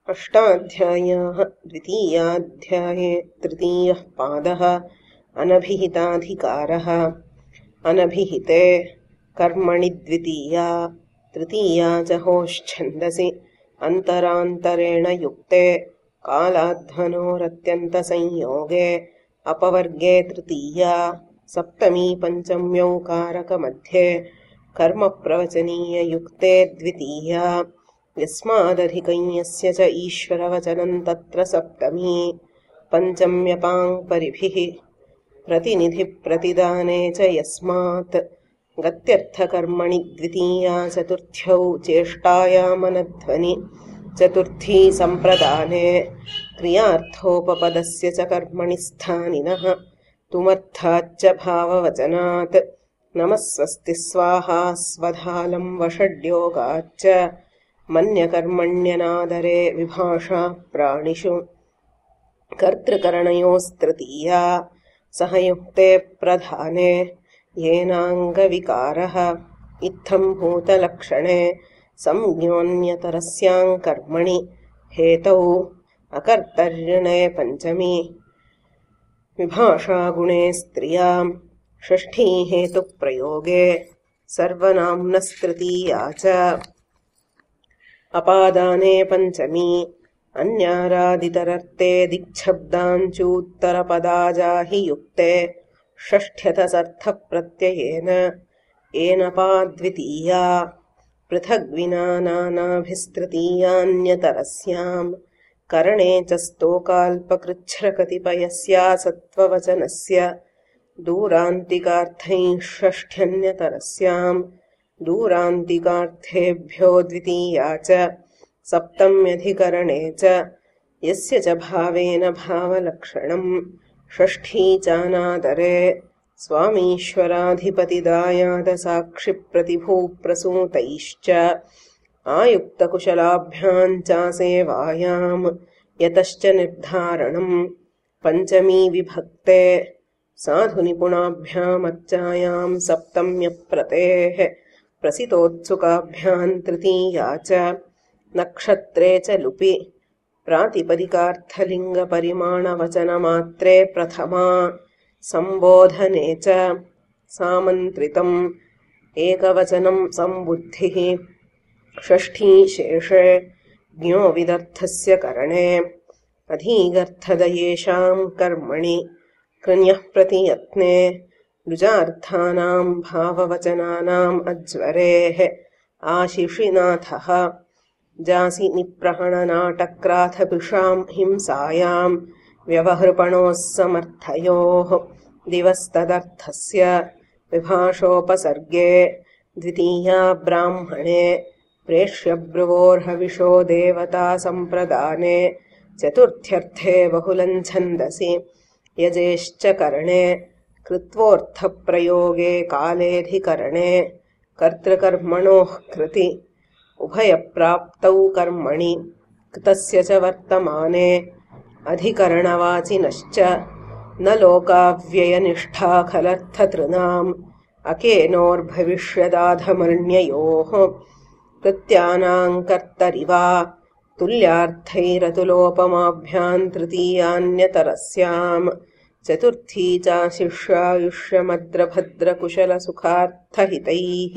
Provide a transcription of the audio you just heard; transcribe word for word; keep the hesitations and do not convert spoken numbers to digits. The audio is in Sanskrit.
अष्टाध्यायः। द्वितीयाध्याये तृतीयः पादः। अनभिहिताधिकारः। अनभिहिते कर्मणि द्वितीया तृतीया च होश्छन्दसि अन्तरान्तरेण युक्ते कालाध्वनोरत्यन्तसंयोगे अपवर्गे तृतीया सप्तमी पञ्चम्यौकारकमध्ये कर्मप्रवचनीययुक्ते द्वितीया यस्मादधिकं च ईश्वरवचनं तत्र सप्तमी पञ्चम्यपां परिभिः प्रतिनिधिप्रतिदाने च यस्मात् गत्यर्थकर्मणि द्वितीया चतुर्थ्यौ चेष्टायामनध्वनि चतुर्थी सम्प्रदाने क्रियार्थोपपदस्य च कर्मणि स्थानिनः तुमर्थाच्च भाववचनात् नमः स्वस्ति स्वाहा स्वधालं वषड्योगाच्च मन्यकर्मण्यनादरे विभाषा प्राणिषु कर्तृकरणयोस्तृतीया सहयुक्ते प्रधाने येनाङ्गविकारः इत्थं भूतलक्षणे संज्ञोऽन्यतरस्यां कर्मणि हेतौ अकर्तर्यणे पञ्चमी विभाषागुणे स्त्रियां षष्ठी हेतुप्रयोगे सर्वनाम्नस्तृतीया च अपादाने पञ्चमी अन्यारादितरर्थे दिक्शब्दाञ्चूत्तरपदाजाहि युक्ते षष्ठ्यतसर्थप्रत्ययेन एनपाद्वितीया पृथग्विना नानाभिस्तृतीयान्यतरस्यां करणे च स्तोकाल्पकृच्छ्रकतिपयस्या सत्त्ववचनस्य दूरान्तिकार्थैः षष्ठ्यन्यतरस्यां दूरान्तिकार्थेभ्यो द्वितीया च सप्तम्यधिकरणे च यस्य च भावेन भावलक्षणं षष्ठी चानादरे स्वामीश्वराधिपतिदायादसाक्षिप्रतिभूप्रसूतैश्च आयुक्तकुशलाभ्यां चासेवायां यतश्च निर्धारणं पञ्चमी विभक्ते साधुनिपुणाभ्यामर्चायां सप्तम्यप्रतेः प्रसितोत्सुकाभ्यां तृतीया च नक्षत्रे च लुपि प्रातिपदिकार्थलिङ्गपरिमाणवचनमात्रे प्रथमा सम्बोधने च सामन्त्रितम् एकवचनं सम्बुद्धिः षष्ठी शेषे ज्ञोविदर्थस्य करणे अधीगर्थदयेषां कर्मणि कृण्यः प्रतियत्ने लुजार्थानां भाववचनानाम् अज्वरेः आशिषिनाथः जासि निप्रहणनाटक्राथभिषां हिंसायां व्यवहृपणोः समर्थयोः दिवस्तदर्थस्य विभाषोपसर्गे द्वितीया ब्राह्मणे प्रेष्यब्रुवोर्हविषो देवता सम्प्रदाने चतुर्थ्यर्थे बहुलञ्छन्दसि यजेश्च करणे कृत्वोऽर्थप्रयोगे कालेऽधिकरणे कर्तृकर्मणोः कृति उभयप्राप्तौ कर्मणि कृतस्य च वर्तमाने अधिकरणवाचिनश्च न लोकाव्ययनिष्ठा खलर्थतृणाम् अकेनोर्भविष्यदाधमर्ण्ययोः कृत्यानां कर्तरिवा तुल्यार्थैरतुलोपमाभ्यां तृतीयान्यतरस्यां चतुर्थी चाशिष्यायुष्यमद्रभद्रकुशलसुखार्थहितैः